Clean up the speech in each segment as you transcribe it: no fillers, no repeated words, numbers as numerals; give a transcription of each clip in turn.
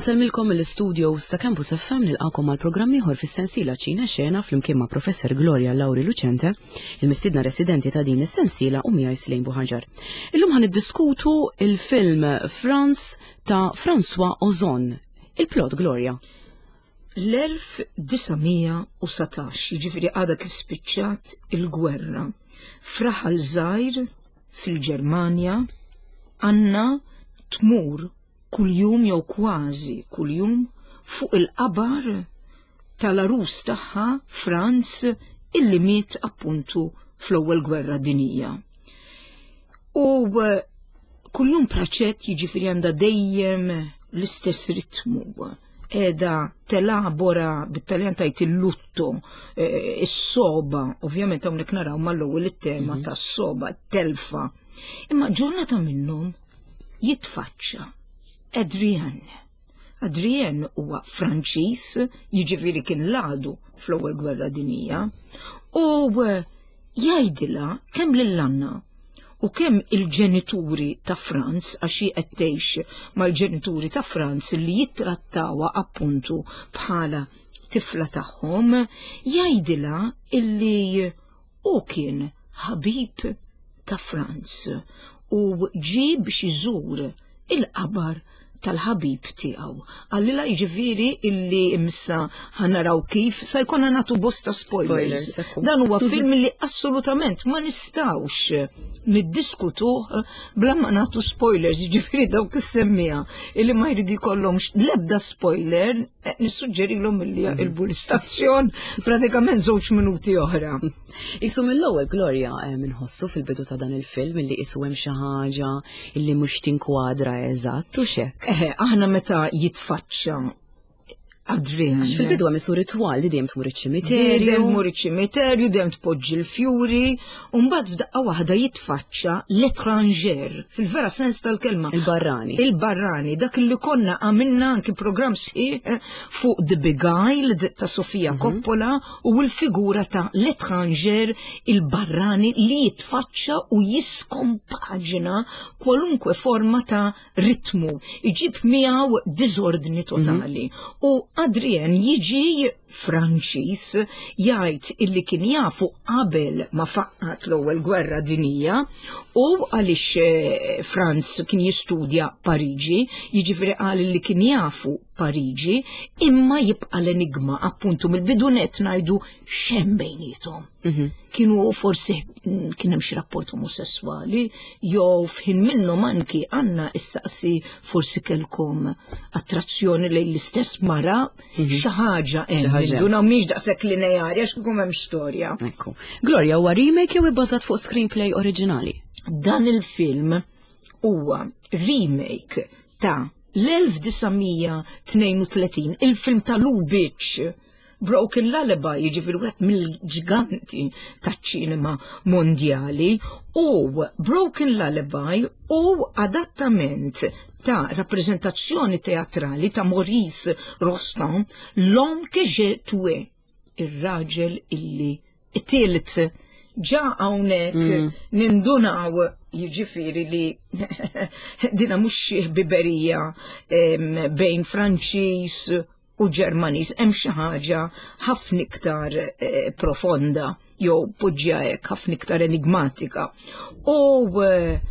Insellmilkom mill-istudio ta' Campus FM nilqakom għal programm ieħor fis-sensiela Ċina Xena flimkien ma' Professor Gloria Lauri Lucente, il-mistiedna residenti ta' din is-sensiela u miegħi Slejn Buħanġar. Illum ħan niddiskutu il-film Franz ta' François Ozon. Il-plot Gloria. L-1919, jiġifieri għadha kif spiċċat il-gwerra, f'raħal żgħir fil-Ġermanja, Anna tmur kuljum jew kważi kuljum fuq il-qabar tal-għarus tagħha Franz illi miet appuntu fl-Ewwel Gwerra Dinjija. U eh, kuljum praċett jiġifieri għandha dejjem l-istess ritmu qiegħda telabora bit-Taljan tajt il-lutto, eh, is-soba, ovvjament hawnhekk naraw mal-ewwel it-tema mhm. tas-soba, telfa. Imma ġurnata minnhom jitfaċċa Adrian. Adrien huwa Franċiż, jiġifieri kien l-għadu fl-Ewwel Gwerra Dinjija, u eh, jgħidilha kemm lil Anna u kemm il-ġenituri ta' Franz għax hi qed tgħix mal-ġenituri ta' Franz li jittrattawha appuntu bħala tifla tagħhom, jgħidilha illi hu kien ħabib ta' Franz u ġie biex iżur il-qabar tal-ħabib tiegħu. Għallila jiġifieri illi imsa ħanaraw kif sa jkollna nagħtu bosta spoilers. Dan huwa film li assolutament ma nistgħux niddiskutuh bla ma nagħtu spoilers, jiġifieri dawk is-semmija illi ma jridu jkollhomx l-ebda spoiler, eh, nissuġġerilhom illi mhm. jaqilbu l-istazzjon pratikament żewġ minuti oħra. Isu mill-ewwel Gloria eh, minħossu fil-bidu ta' dan il-film illi isu hemm xi ħaġa illi mhux tinkwadra eżatt u xek. Eh, aħna meta jitfaċċa Adrian. Għax fil-bidu hemm isu ritwal li dejjem tmur iċ-ċimiterju. Dejjem tmur iċ-ċimiterju, dejjem tpoġġi l-fjuri, u mbagħad f'daqqa waħda jitfaċċa l-etranger, fil-vera sens tal-kelma. Il-barrani. Il-barrani, dak li konna għamilna anki programm sħiħ fuq The Beguiled ta' Sofia mhm. Coppola u l-figura ta' l-etranger il-barrani li jitfaċċa u jiskompaġina kwalunkwe forma ta' ritmu, iġib miegħu diżordni totali. Mm -hmm. U Adrien jiġi Franċiż jgħid illi kien jafu qabel ma faqqat l-ewwel gwerra dinija u għaliex eh, Franz kien jistudja Pariġi, jiġifieri qal li kien jafu Pariġi, imma jibqa' l-enigma appuntu mill-bidu net ngħidu x'hemm bejniethom. Mhm. Kienu forsi mm, kien hemm xi rapport omosessuali, jew f'ħin minnhom anki għandna issaqsi forsi kellkom attrazzjoni lejn l-istess mara, mhm. xi ħaġa hemm. Indunaw mhix daqshekk lineari għax kieku hemm storja. Ekku. Gloria huwa remake jew ibbażat fuq screenplay oriġinali? Dan il-film huwa remake ta' l-1932 il-film ta' Lubitsch Broken Lullaby jiġifieri wieħed mill-ġganti taċ-ċinema mondjali u Broken Lullaby u adattament ta' rappreżentazzjoni teatrali ta' Maurice Rostand L'homme que j'ai tué, ir-raġel illi It-tielet, ġa hawnhekk mm. nindunaw jiġifieri li dina mhux xi ħbiberija bejn Franċiż u Ġermaniż hemm xi ħaġa ħafna iktar eh, profonda jew poġġja hekk ħafna iktar enigmatika. U eh,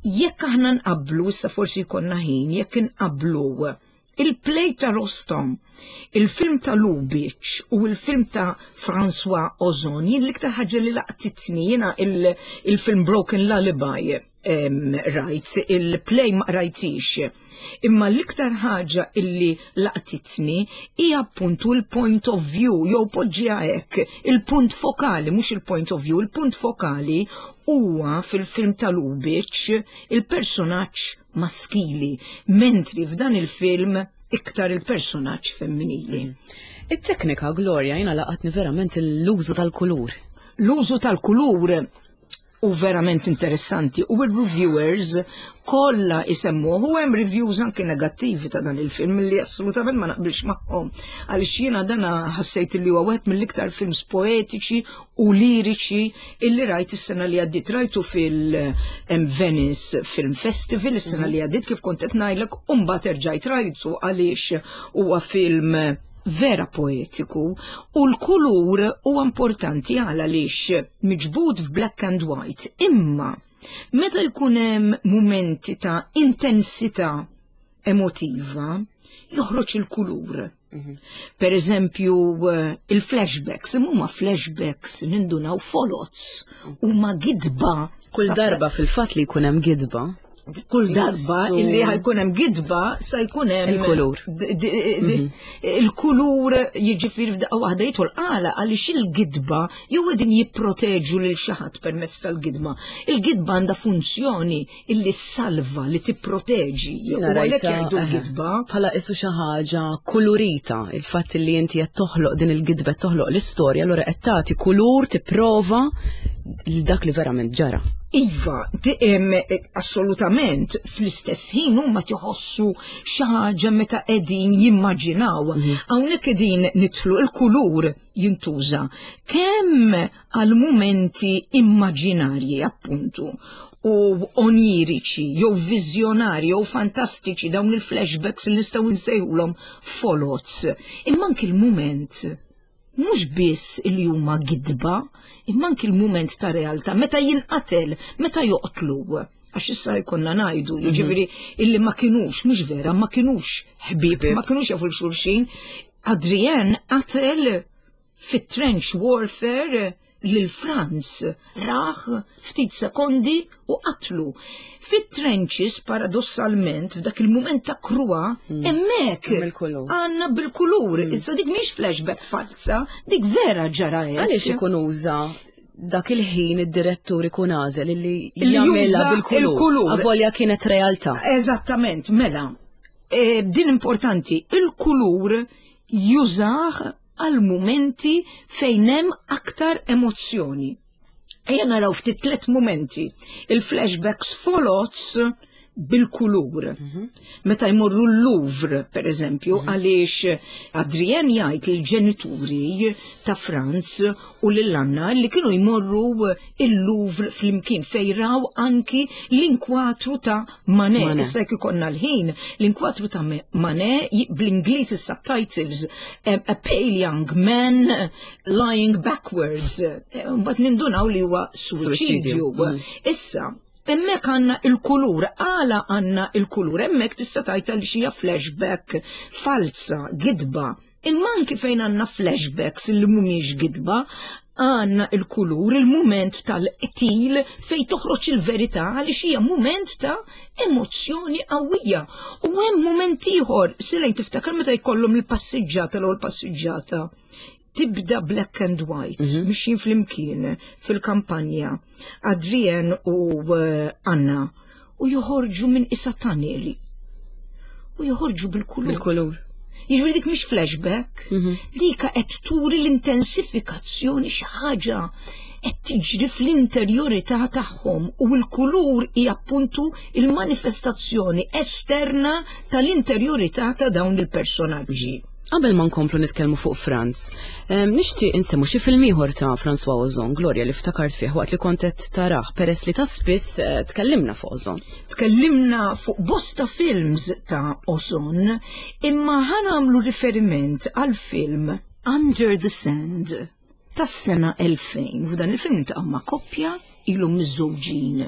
jekk aħna nqablu, issa forsi jkollna ħin, jekk inqablu Il-play ta' Rostom, il-film ta' Lubitsch u il-film ta' François Ozon, jien l-iktar ħaġa li laqtitni jiena il-film Broken Lullaby rajt, il-play ma rajtix. Imma l-iktar ħaġa illi laqtitni hija appuntu l-point of view, jew poġġiha hekk, il-punt fokali, mhux il-point of view, il-punt fokali huwa fil-film ta' Lubitsch il-personaġġ maskili, mentri f'dan il-film iktar il-personaġġ femminili. Mm. It-teknika, Gloria, jina laqatni verament l-użu tal-kulur. L-użu tal-kulur. u verament interessanti u il-reviewers kollha isemmuh u hemm reviews anke negattivi ta' dan il-film li assolutament ma naqbilx magħhom għaliex jiena dana ħassejt li huwa wieħed mill-iktar films poetiċi u liriċi illi rajt is-sena li għaddiet rajtu fil-Venice Film Festival is-sena li għaddiet kif kont qed ngħidlek u mbagħad erġajt rajtu għaliex huwa film vera poetiku u l-kulur huwa importanti għal għaliex miġbud f'black and white imma meta jkun hemm mumenti ta' intensità emotiva joħroġ il-kulur. Mhm. Per eżempju, eh, il-flashbacks, huma flashbacks nindunaw folots, huma gidba. Kull darba fil-fatt li jkun hemm gidba, kull darba illi ħajkun hemm gidba sa jkun hemm il-kulur. Mhm. Il-kulur jiġifieri f'daqqa waħda jidħol għala għaliex il-gidba jew qegħdin jipproteġu lil xi ħadd permezz tal-gidba. Il-gidba għandha funzjoni illi salva li tipproteġi. U għalhekk jgħidu l-gidba. Bħala isu xi ħaġa kulurita, il-fatt li inti qed toħloq din il-gidba toħloq l-istorja, allura qed tagħti kulur tipprova dak li verament ġara. Iva, assolutament, fl-istess ħin huma tiħossu xi ħaġa meta qegħdin jimmaġinaw. Mhm. Hawnhekk qegħdin nidħlu il-kulur jintuża kemm għal mumenti immaġinarji appuntu u oniriċi jew viżjonarji jew fantastiċi dawn il-flashbacks li nistgħu nsejħulhom folots. Imma anki l-mument mhux biss li huma gidba, imma anki l-mument ta' realtà meta jinqatel, meta joqtlu. Għax issa jkollna ngħidu, mhm. jiġifieri illi ma kinux, mhux vera, ma kinux ħbieb, ma kinux jafu l-xulxin. Adrienne qatel fit-trench warfare lil Franz raħ ftit sekondi u qatlu. Fit-trenches, paradossalment, f'dak il-mument ta' kruha, mm. hemmhekk għandna bil-kulur. Mm. Issa dik mhix flashback falsa, dik vera ġara hekk. Għaliex ikun uża dak il-ħin id-direttur ikun għażel illi jagħmilha bil-kulur. Avolja kienet realtà. Eżattament, mela. E, din importanti, il-kulur jużah għal mumenti fejn hemm aktar emozzjoni. Ejja naraw ftit tliet mumenti. Il-flashbacks folots bil-kulur. Mhm. Meta jmorru l-Louvre, per eżempju, mhm. għaliex Adrien jgħid il-ġenituri ta' Franz u lil Anna li kienu jmorru il-Louvre flimkien fejn raw anki l-inkwatru ta' Manet. Issa jekk ikollna l-ħin, l-inkwatru ta' Manet bl-Ingliż is-subtitles A Pale Young Man Lying Backwards. Eh, mbagħad nindunaw li huwa suwiċidju. Mm. Issa, Hemmhekk għandna il-kulur, għala għandna il-kulur, hemmhekk tista' tgħid li xija flashback falsa, gidba. Imma anki fejn għandna flashbacks li mhumiex gidba, għandna il-kulur, il-mument tal-qtil fejn toħroġ il-verità għaliex hija mument ta' emozzjoni qawwija. U hemm mument ieħor, silejn tiftakar meta jkollhom il-passiġġata l-ewwel passiġġata. Tibda black and white, mm -hmm. mixjin flimkien fil-kampanja, Adrian u eh, Anna, u joħorġu minn isa tunnel. U joħorġu bil-kulur. Bil-kulur. Jiġifieri dik mhix flashback, mm -hmm. dika qed turi l-intensifikazzjoni xi ħaġa qed tiġri fl-interjorità tagħhom u l-kulur hija appuntu il-manifestazzjoni esterna tal-interjorità ta' dawn il-personaġġi. Qabel ma nkomplu nitkellmu fuq Franz, nixtieq insemmu xi film ieħor ta' François Ozon, Gloria li ftakart fih waqt li kont qed tarah peress li ta' spiss eh, tkellimna fuq Ozon. Tkellimna fuq bosta films ta' Ozon, imma ħanamlu riferiment għal film Under the Sand tas-sena 2000. F'dan il-film niltaqgħu ma' koppja ilhom miżżewġin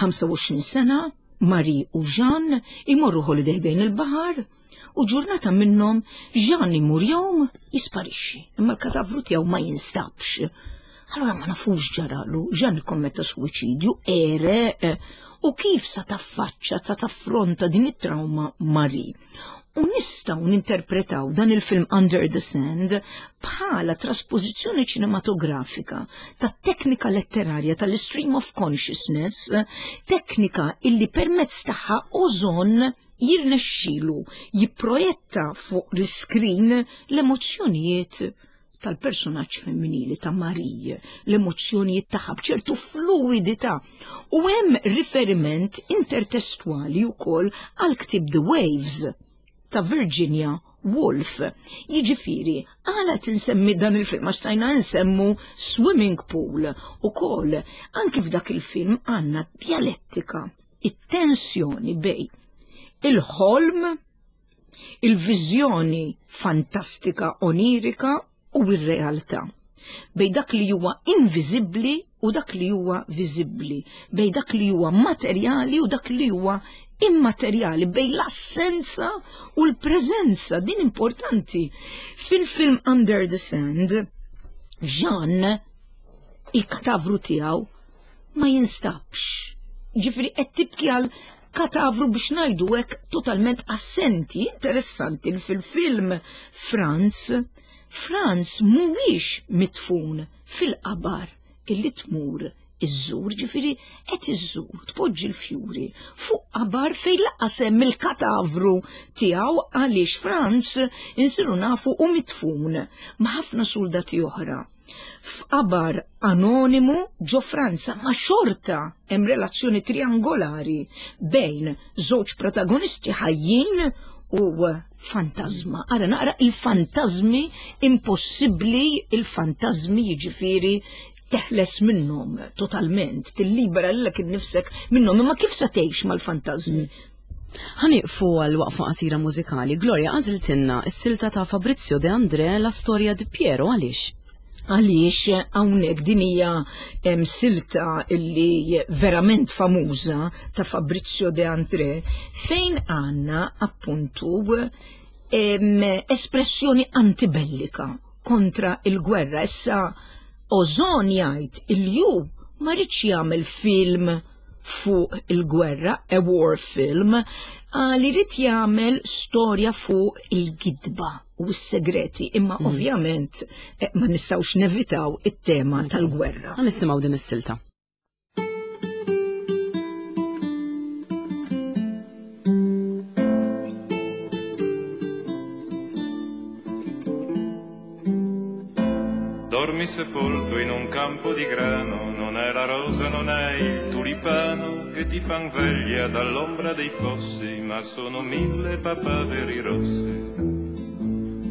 25 sena, Marie u Jean imorru holiday ħdejn il-baħar U ġurnata minnhom Jean imur jgħum jisparixxi, imma l-katavru tiegħu ma jinstabx. Allura ma nafux ġaralu, Jean ikkommetta suwiċidju, għereq, u kif sa taffaċċa, sa taffronta din it-trauma Marie. U nistgħu ninterpretaw dan il-film Under the Sand bħala traspożizzjoni ċinematografika ta' teknika letterarja tal-stream of consciousness, teknika illi permezz tagħha Ozon jirnexxilu jipprojetta fuq l-iskrin l-emozzjonijiet tal-personaġġ femminili ta' Marie, l-emozzjonijiet tagħha b'ċertu fluidità. U hemm riferiment intertestwali wkoll għal ktieb The Waves ta' Virginia Woolf. Jiġifieri, għala tinsemmi dan il-film għax stajna nsemmu Swimming Pool ukoll. Anki f'dak il-film għandna djalettika, it-tensjoni bej il-ħolm, il-viżjoni fantastika onirika u r-realtà. Bej dak li huwa inviżibbli u dak li huwa viżibbli, bej dak li huwa materjali u dak li huwa immaterjali, bej l-assenza u l-preżenza, din importanti. Fil-film Under the Sand, Jean, il-katavru tiegħu ma jinstabx. Ġifieri qed tibki għal katavru biex ngħidu hekk totalment assenti. Interessanti li fil-film Franz, Franz mhuwiex mitfun fil-qabar illi tmur iżżur, ġifieri qed iżżur, tpoġġi l-fjuri fuq qabar fejn laqas hemm il-katavru tiegħu għaliex Franz insiru nafu u mitfun ma' ħafna soldati oħra f'qabar anonimu ġo Franza, ma xorta hemm relazzjoni triangolari bejn żewġ protagonisti ħajjin u fantasma. Ara naqra il-fantasmi impossibbli, il-fantasmi jiġifieri teħles minnhom totalment, tillibera lilek innifsek minnhom, imma kif se tgħix mal-fantasmi? Ħaniqfu għal waqfa qasira mużikali. Gloria għażiltilna s-silta ta' Fabrizio De André La Storia di Piero għaliex? Għaliex hawnhekk din hija silta illi verament famuża ta' Fabrizio De André fejn għandna appuntu espressjoni antibellika kontra il-gwerra. Issa Ozon jgħid il-ju ma rridx jagħmel film fuq il-gwerra, a war film, għal irid jagħmel storja fuq il-gidba u s-segreti, imma ovvjament ma nistgħux nevitaw it-tema tal-gwerra. Ħa nisimgħu din is-silta. Dormi sepolto in un campo di grano, non è la rosa, non è il tulipano che ti fan veglia dall'ombra dei fossi, ma sono 1000 papaveri rossi.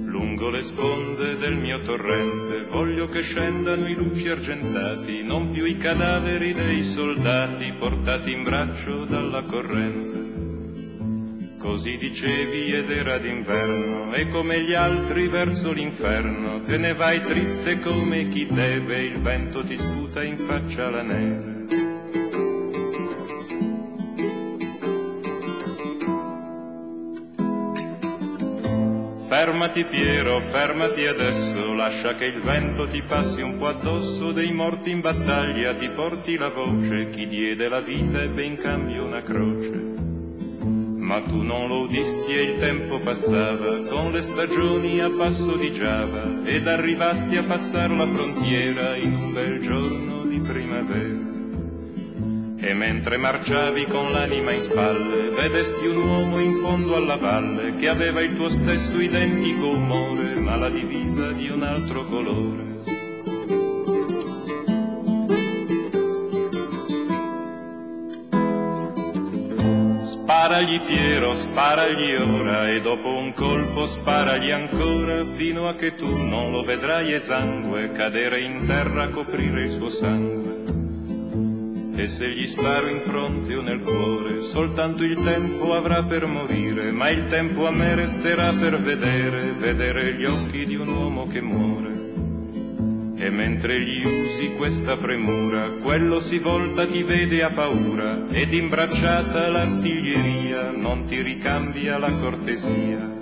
Lungo le sponde del mio torrente voglio che scendano i luci argentati, non più i cadaveri dei soldati portati in braccio dalla corrente. Così dicevi ed era d'inverno, e come gli altri verso l'inferno te ne vai triste come chi deve, il vento ti sputa in faccia la neve. Fermati Piero, fermati adesso, lascia che il vento ti passi un po' addosso, dei morti in battaglia ti porti la voce, chi diede la vita ebbe in cambio una croce. Ma tu non lo udisti e il tempo passava, con le stagioni a passo di Giava, ed arrivasti a passar la frontiera in un bel giorno di primavera. E mentre marciavi con l'anima in spalle, vedesti un uomo in fondo alla valle, che aveva il tuo stesso identico umore, ma la divisa di un altro colore. Sparagli Piero, sparagli ora, e dopo un colpo sparagli ancora, fino a che tu non lo vedrai esangue cadere in terra a coprire il suo sangue. E se gli sparo in fronte o nel cuore, soltanto il tempo avrà per morire, ma il tempo a me resterà per vedere, vedere gli occhi di un uomo che muore. E mentre gli usi questa premura, quello si volta, ti vede a paura, ed imbracciata l'artiglieria non ti ricambia la cortesia.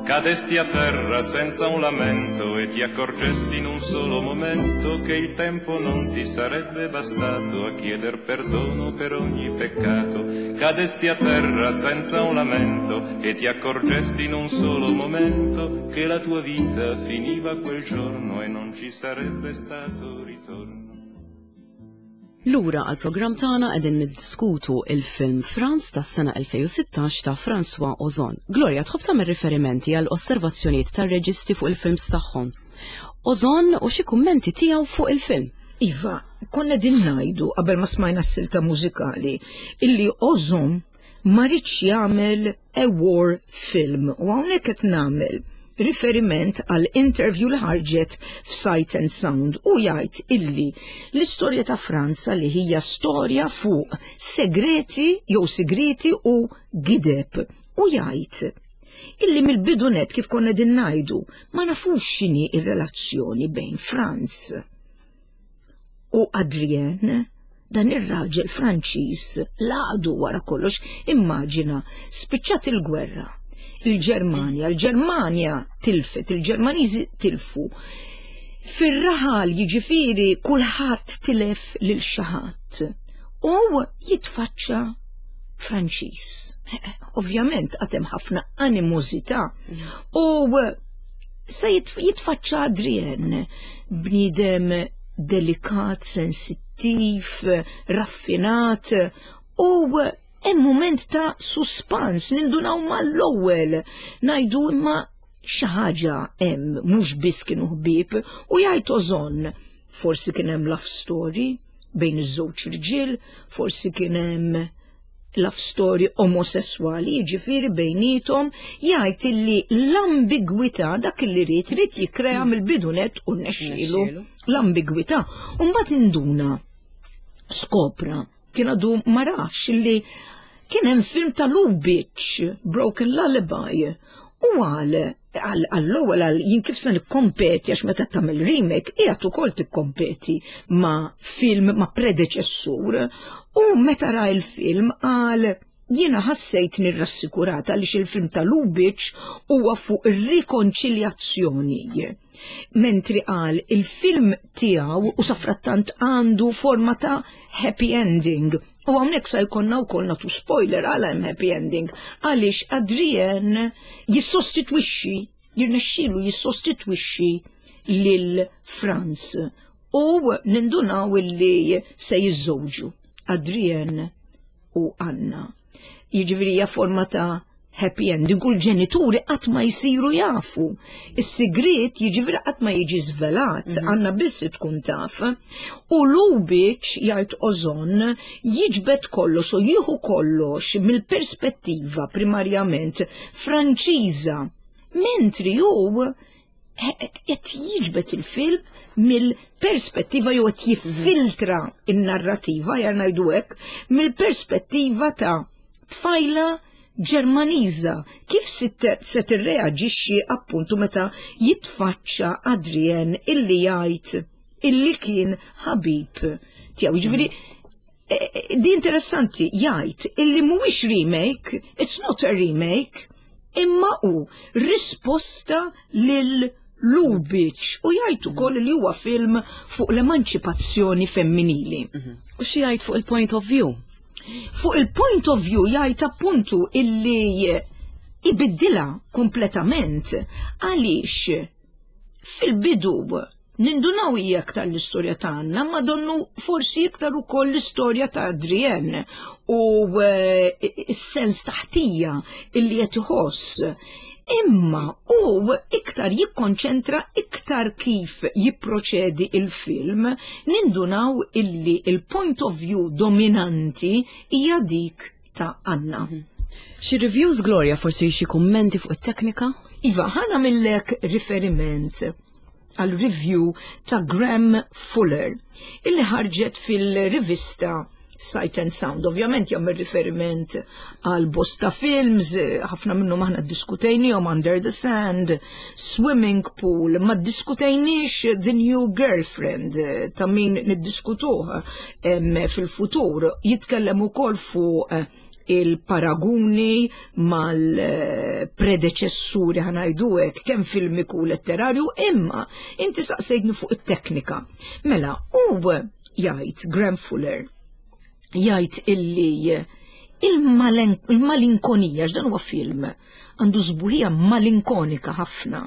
Cadesti a terra senza un lamento e ti accorgesti in un solo momento che il tempo non ti sarebbe bastato a chieder perdono per ogni peccato. Cadesti a terra senza un lamento e ti accorgesti in un solo momento che la tua vita finiva quel giorno e non ci sarebbe stato ritorno. Lura għall-programm tagħna qegħdin niddiskutu il-film Franz tas-sena 2016 ta' François Ozon. Gloria, tħobb tagħmel riferimenti għal osservazzjonijiet tar-reġisti fuq il-films tagħhom. Ozon u xi kummenti tiegħu fuq il-film. Iva, konna din ngħidu qabel ma smajna s-silta mużikali illi Ozon ma ridx jagħmel a war film u hawnhekk qed nagħmel riferiment għal interview li ħarġet f'Sight and Sound u jgħid illi l-istorja ta' Franza li hija storja fuq segreti jew sigreti u gideb u jgħid illi mill-bidu net kif konna din ngħidu ma nafux x'inhi ir-relazzjoni bejn Franz u Adrien, dan ir-raġel Franċiż laqdu wara kollox, immaġina, spiċċat il-gwerra. Il-Ġermanja, il-Ġermanja tilfet, il-Ġermaniżi tilfu. Fir-raħal jiġifieri kulħadd tilef lil xi ħadd u jitfaċċa Franċiż. Ovvjament għad hemm ħafna animożità u se jitfaċċa Adrien, bniedem delikat, sensittiv, raffinat u hemm mument ta' suspans nindunaw mal-ewwel ngħidu imma xi ħaġa hemm mhux biss kienu ħbieb u jgħid Ozon forsi kien hemm love story bejn iż-żewġ irġiel, forsi kien hemm love story omosessuali, jiġifieri bejnietom, jgħid illi l-ambigwità dak li ried ried jikkrea mill-bidu net u nnexxielu l-ambigwità. U mbagħad induna skopra kien għadu ma rax illi kien hemm film ta' Lubitsch, Broken Lullaby, u għal għall-ewwel għal jien kif se nikkompeti għax meta tagħmel remake qiegħed ukoll tikkompeti ma' film ma' predeċessur u meta ra l-film qal jiena ħassejt nirrassikurata għaliex il-film ta' Lubitsch huwa fuq ir-rikonċiljazzjoni. Mentri qal il-film tiegħu u safrattant għandu forma ta' happy ending. U hawnhekk sa jkollna wkoll nagħtu spoiler għala hemm happy ending għaliex Adrien jissostitwixxi, jirnexxilu jissostitwixxi lil Franz u nindunaw illi se jiżżewġu Adrien u Anna. Jiġifieri hija forma ta' happy ending u l-ġenituri qatt ma jsiru jafu. Is-sigriet jiġifieri qatt ma jiġi żvelat, għandna biss tkun taf. U Lubitsch jgħid Ozon jiġbed kollox u jieħu kollox mill-perspettiva primarjament Franċiża, mentri hu qed jiġbed il-film mill-perspettiva jew qed jiffiltra n-narrativa, jar ngħidu hekk, mill-perspettiva ta' tfajla Ġermaniża kif se tirreaġixxi appuntu meta jitfaċċa Adrien illi jgħid illi kien ħabib tiegħu. Jiġifieri e, e, di interessanti jgħid illi mhuwiex remake, it's not a remake, imma hu risposta lil Lubitsch u jgħid ukoll li huwa film fuq l-emanċipazzjoni femminili. Mhm. U xi jgħid fuq il-point of view? Fuq il-point of view jgħid appuntu illi ibiddilha kompletament għaliex fil-bidu nindunaw hija aktar l-istorja ta' Anna, ma donnu forsi iktar ukoll l-istorja ta' Adrienne u eh, s-sens taħtija illi qed iħoss. Imma u iktar jikkonċentra iktar kif jipproċedi il-film, nindunaw illi il-point of view dominanti hija dik ta' Anna. Mhm. Xi reviews Gloria forsi xi kummenti fuq it-teknika? Iva, ħana millek riferiment għal review ta' Graham Fuller illi ħarġet fil-rivista Sight and Sound. Ovvjament jagħmel riferiment għal bosta films, ħafna minnhom aħna ddiskutejnihom Under the Sand, Swimming Pool, ma ddiskutejniex The New Girlfriend ta' min niddiskutuh fil-futur. Jitkellem ukoll fuq il-paraguni mal-predeċessuri ħanajdu hekk kemm filmiku u letterarju, imma inti saqsejtni fuq it-teknika. Mela, u jgħid Graham Fuller jgħid illi il-malinkonija, x'dan huwa film, għandu sbuħija malinkonika ħafna.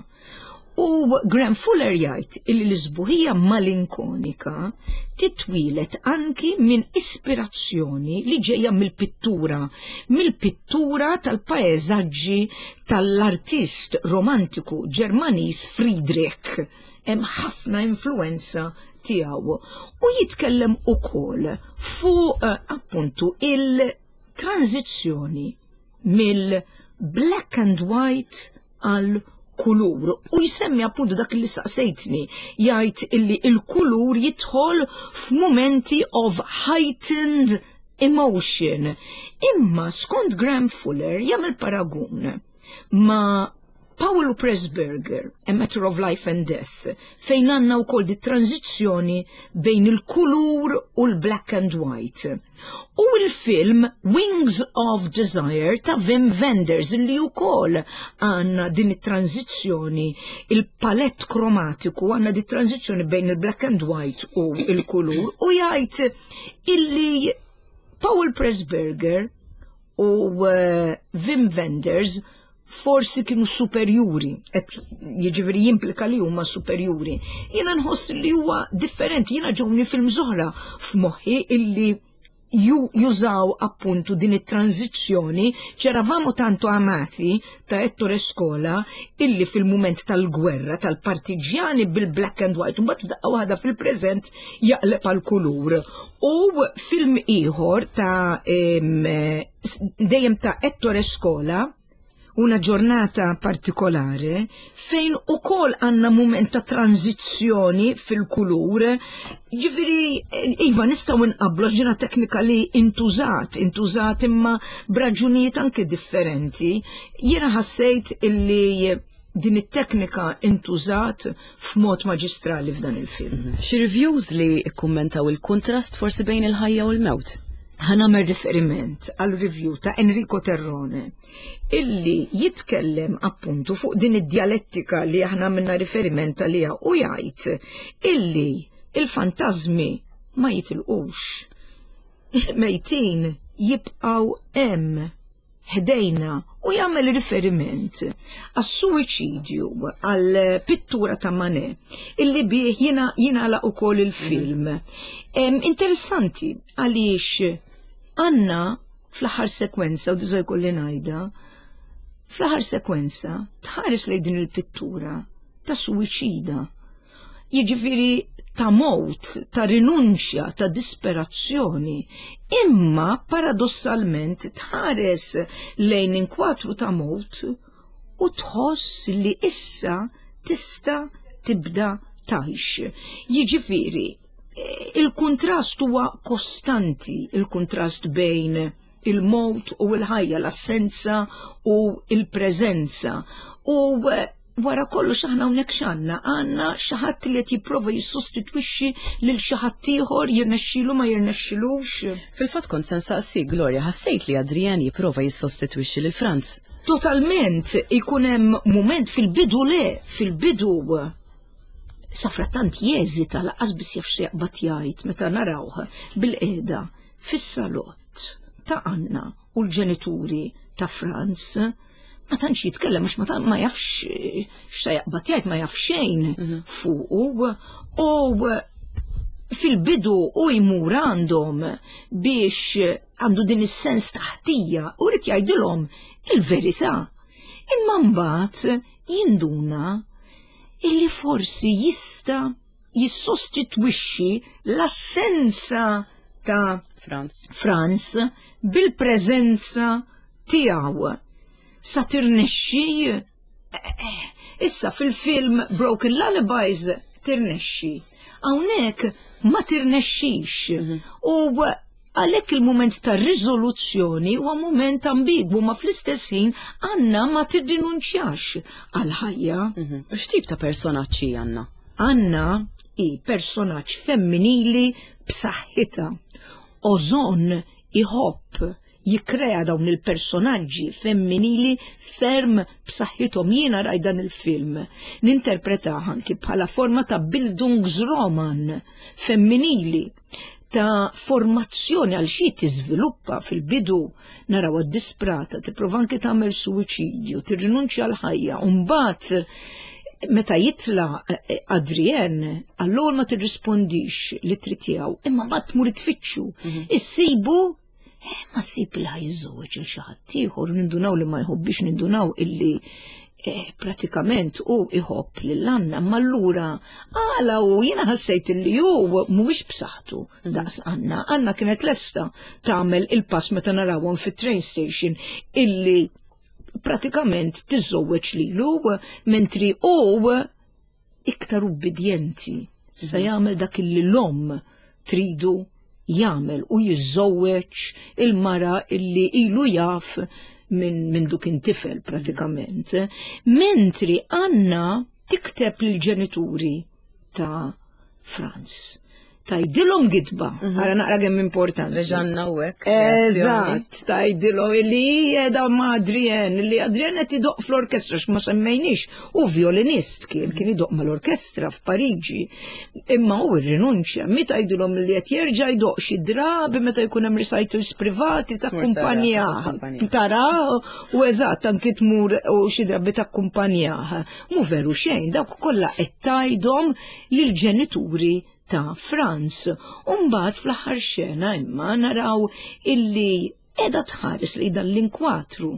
U Graham Fuller jgħid illi l-isbuħija malinkonika titwieled anki minn ispirazzjoni li ġejja mill-pittura, mill-pittura tal-paeżaġġi tal-artist romantiku Ġermaniż Friedrich. Hemm ħafna influenza tiegħu. U jitkellem ukoll fuq appuntu il-tranżizzjoni mill-black and white għal kulur u jsemmi appuntu dak li saqsejtni jgħid illi il-kulur jidħol f'mumenti of heightened emotion. Imma skont Graham Fuller jagħmel paragun ma' Paul Pressburger, A Matter of Life and Death, fejn għandna wkoll di tranzizzjoni bejn il-kulur u l-black and white. U l-film Wings of Desire ta' Wim Wenders li wkoll għandna din it-tranzizzjoni, il-palett kromatiku għandna di tranzizzjoni bejn il-black and white u il-kulur u jgħid illi Paul Pressburger u Wim Wenders forsi kienu superjuri, qed jiġifieri jimplika li huma superjuri. Jiena nħoss li huwa differenti, jiena ġewni film oħra f'moħħi illi jużaw appuntu din it-tranzizzjoni C'eravamo tanto amati ta' Ettore Scola illi fil-mument tal-gwerra tal-partiġjani bil-black and white, mbagħad f'daqqa waħda fil-preżent jaqleb għal kulur. U film ieħor ta' dejjem ta' Ettore Scola, una giornata particolare, fejn ukoll għandna mument ta' tranzizzjoni fil-kulur. Ġifieri, iva nistgħu nqabblu ġina teknika li intużat, intużat imma b'raġunijiet anke differenti. Jiena ħassejt illi din it-teknika intużat f'mod maġistrali f'dan il-film. Xi reviews li kkummentaw il-kontrast forsi bejn il-ħajja u l-mewt? Ħa nagħmel riferiment għal review ta' Enrico Terrone illi jitkellem appuntu fuq din id-dialettika li aħna minna riferiment għaliha u jgħid illi il-fantażmi ma jitilqux. Il-mejtin jibqgħu hemm ħdejna u jagħmel riferiment għas-suwiċidju għal pittura ta' Manet illi bih jiena jingħalaq ukoll il-film. Interessanti għaliex għandna fl-aħħar sekwenza u diża jkolli ngħidha, fl-aħħar sekwenza tħares lejn din il-pittura ta' suwiċida. Jiġifieri ta' mowt, ta' rinunċja, ta' disperazzjoni, imma paradossalment tħares lejn inkwatru ta' mowt u tħoss li issa tista' tibda tgħix. Jiġifieri, il-kuntrast huwa kostanti, il-kuntrast bejn il-mowt u l-ħajja, l-assenza u l-preżenza. U wara kollox aħna hawnhekk x'għandna? Għandna xi ħadd li qed jipprova jissostitwixxi lil xi ħadd ieħor jirnexxilu ma jirnexxilux. Fil-fatt kont se nsaqsik, Gloria, ħassejt li Adrian jipprova jissostitwixxi lil Franz? Totalment, ikun hemm mument fil-bidu le, fil-bidu safrattant jeżita laqas biss jaf x'jaqbad jgħid meta narawh bil-qiegħda fis-salott ta' Anna u l-ġenituri ta' Franz ma tantx jitkellem għax ma, ma jafx x'sa jaqbad jgħid ma jaf xejn fuqu u fil-bidu u jmur għandhom biex għandu din is-sens ta' ħtija u rrid jgħidilhom il-verità. Imma mbagħad jinduna illi forsi jista' jissostitwixxi l-assenza ta' Franz, Franz bil-preżenza tiegħu. Sa tirnexxi issa fil-film Broken Lullabies tirnexxi. Hawnhekk ma tirnexxix. U għalhekk il-mument ta' riżoluzzjoni huwa mument ambigwu ma fl-istess ħin Anna ma tirrinunċjax għal ħajja. U x'tip ta' personaġġ hi Anna? Anna hi personaġġ femminili b'saħħitha. Ozon iħobb jikrea dawn il-personaġġi femminili ferm b'saħħithom. Jiena rajt dan il-film ninterpretah anki bħala forma ta' Bildungsroman femminili ta' formazzjoni għal xi tiżviluppa fil-bidu naraw disprata, tipprova anke tagħmel suwiċidju, tirrinunċja l-ħajja, u mbagħad Meta jitla eh, Adrien, għall-ewwel ma tirrispondix li trid tiegħu, imma mbagħad tmur tfittxu. Mhm. Issibu eh, ma ssib li ħajżewweġ il xi ħadd ieħor, nindunaw li ma jħobbix, nindunaw illi eh, pratikament u iħobb lil Anna, ma allura għala u jiena ħassejt illi hu mhuwiex b'saħħtu mhm. daqs Anna. Anna kienet lesta tagħmel il-pass meta narawhom fit-train station illi pratikament tiżżewweġ lilu mentri hu iktar ubbidjenti se mhm. jagħmel dak illi l-omm tridu jagħmel u jiżżewweġ il-mara illi ilu jaf minn min duk tifel pratikament. Mentri Anna tikteb lill-ġenituri ta' Franz. Tajdilhom gidba, mhm. ara naqra kemm importanti. Reġanna u hekk. Eżatt, tajdilhom li qiegħda ma' Adrien, li Adrien qed idoq fl-orkestra x'ma semmejniex, u violinist kien kien idoq mal-orkestra f'Pariġi. Imma hu rrinunċja, mi tgħidilhom li qed jerġa' jdoq xi drabi meta jkun hemm recitals privati ta' kumpanija. Tara u eżatt anki tmur u xi drabi ta' kumpanija. Mu veru xejn, dawk kollha qed tgħidhom lill-ġenituri ta' Franz. U mbagħad fl-aħħar xena imma naraw illi qiegħda tħares li dan l-inkwatru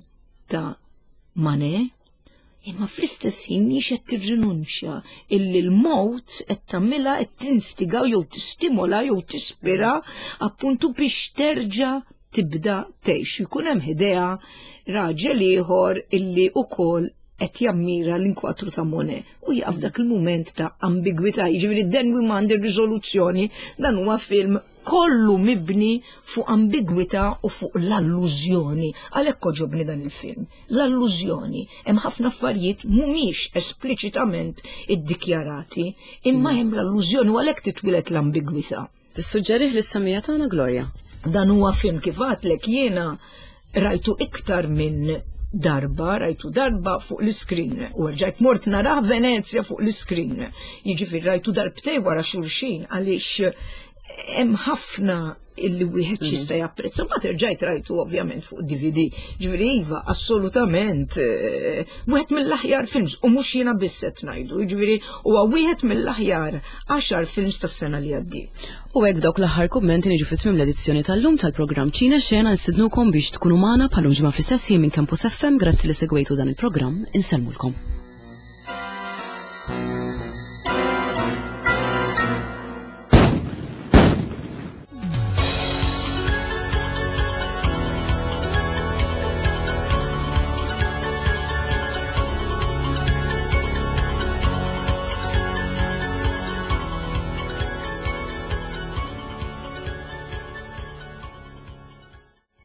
ta' Manet imma fl-istess ħin mhix qed tirrinunċja illi l-mowt qed tagħmilha qed tinstiga jew tistimola jew tispira appuntu biex terġa' tibda tgħix. Jkun hemm ħidejha raġel ieħor illi ukoll qed jammira l-inkwatru ta' Monet u jaqaf dak il-mument ta' ambigwità, jiġifieri then we għandi riżoluzzjoni, dan huwa film kollu mibni fuq ambigwità u fuq l-allużjoni. Għalhekk oġobni dan il-film. L-allużjoni. Hemm ħafna affarijiet mhumiex espliċitament iddikjarati, imma hemm l-allużjoni u għalhekk titwieled l-ambigwità. Tissuġġerih lis-semmiegħa tagħna Gloria? Dan huwa film kif għadlek jiena rajtu iktar minn darba, rajtu darba fuq l-iskrin u rġajt mort narah Venezja fuq l-iskrin. Jiġifieri rajtu darbtej wara xulxin għaliex hemm ħafna illi wieħed mhm. jista' japprezza. Ma terġajt rajtu ovvjament fuq DVD. Ġifieri iva, assolutament eh, wieħed mill-aħjar films u mhux jiena biss qed ngħidu, jiġifieri huwa wieħed mill-aħjar għaxar films tas-sena li għaddiet. U hekk dawk l-aħħar kummenti niġu fi tmiem l-edizzjoni tal-lum tal-programm Ċina Xena nsidnukom biex tkunu magħna bħalum ġimgħa fl-istess ħin minn Campus FM grazzi li segwejtu dan il-programm insellmulkom.